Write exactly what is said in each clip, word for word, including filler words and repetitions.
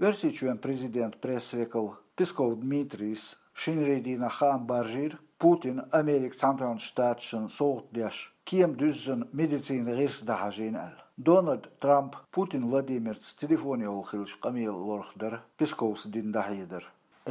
Оьрсийчоьнан президентан пресс-векал Песков Дмитрийс шинарийн дийнахь хаам баржийра, Путина Америкин Цхьаьнатоьхначу Штаташна совгӀат деш, кема дуьззина медицинан гӀирс дӀахьажийна аьлла. Дональд Трамп Путин Владимирца телефон йовхо хиллачу къамелан лорах дара Песковс дина дӀахьедар.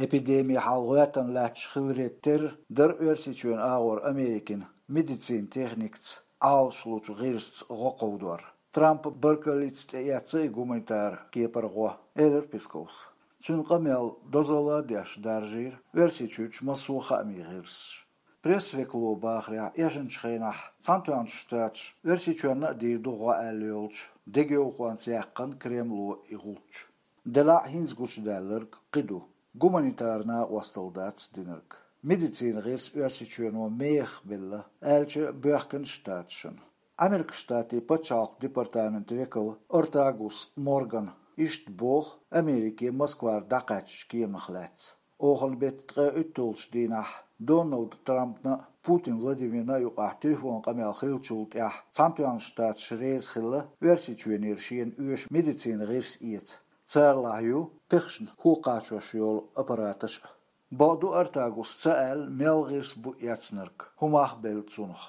Эпидеми хьал гӀоьртина лаьтташ хиларе терра дара Оьрсийчоьнан агӀор Америкин медицинан техникаца, Ӏалашлучу гӀирсаца гӀо кховдор. Трампа баркаллица тӀеэцна и гуманитар кепара гӀо, элира Песковс. Цуьнан къамел дозалла а деш даржийра Оьрсийчуьрчу массо а хаамийн гӀирсаш. Пресс-векало бахарехь, эшначу хенахь Цхьаьнатоьхначу Штаташа Оьрсийчоьнна а дийр ду гӀо аьлла йолчу дегайовхонца яьккхина Кремло и гӀулч. Делахь а хӀинца гучудаьлларг кхин ду. Гуманитар накъосталла дац динарг. Медицинан гӀирс Оьрсийчоьно мехах белла, аьлча а боьхкина Штаташна. Америкин Штатийн пачхьалкхан департаментан векал Артагус Моргана иштта боху Америке Москвара дӀакхаьчначу кеманах лаьцна. Оханан беттан ткъе уьтталгӀачу дийнахь Дональд Трампна а, Путин Владимирна а юкъахь телефон къамел хиллачул тӀаьхьа Цхьаьнатоьхначу Штаташ реза хилла Оьрсийчоьнера шена оьшу медицинан гӀирс эца. Царалахь ю пехашна хӀу кхачош йолу аппараташ а. Бакъду, Артагус ца аьлла, мел гӀирс бу эцнарг, хӀун мах белла цунах.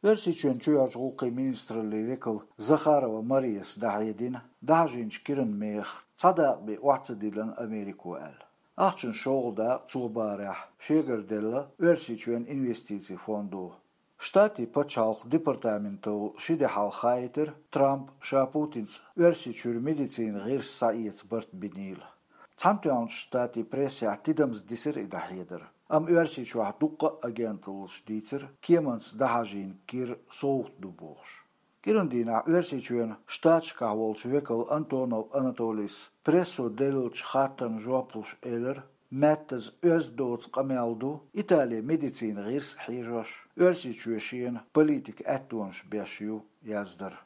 Оьрсийчоьнан чоьхьарчу гӀуллакхийн министраллин векал Захарова Марияс дӀахьедина, дӀахьажийначу киранан мехах цхьа дакъа бен охьа ца диллина Америко аьлла. Ахчанан шолгӀа дакъа цо бахарехь шегара делла Оьрсийчоьнан инвестицийн фондо. Штатийн пачхьалкхан департаментал ши де хьалха хаийтира, Трампа ша Путинца Оьрсийчуьра медицинан гӀирс схьаэца барт бинийла. Цхьаьнатоьхначу Штатийн прессехь тидамза дисира и дӀахьедар, амма Оьрсийчохь дуккха а агенталлаш дийцира, кеманца дӀахьажийна кира совгӀат ду бохуш. Киранан дийнахь Оьрсийчоьнан Штаташкахь волчу векал Антонов Анатолийс прессо деллачу хаттарна жоп луш элира, маьттаза оьзда доцу къамел ду, Итале медицинан гӀирс а хьежош, Оьрсийчоь шена политикан аьттонаш беш ю, яздара.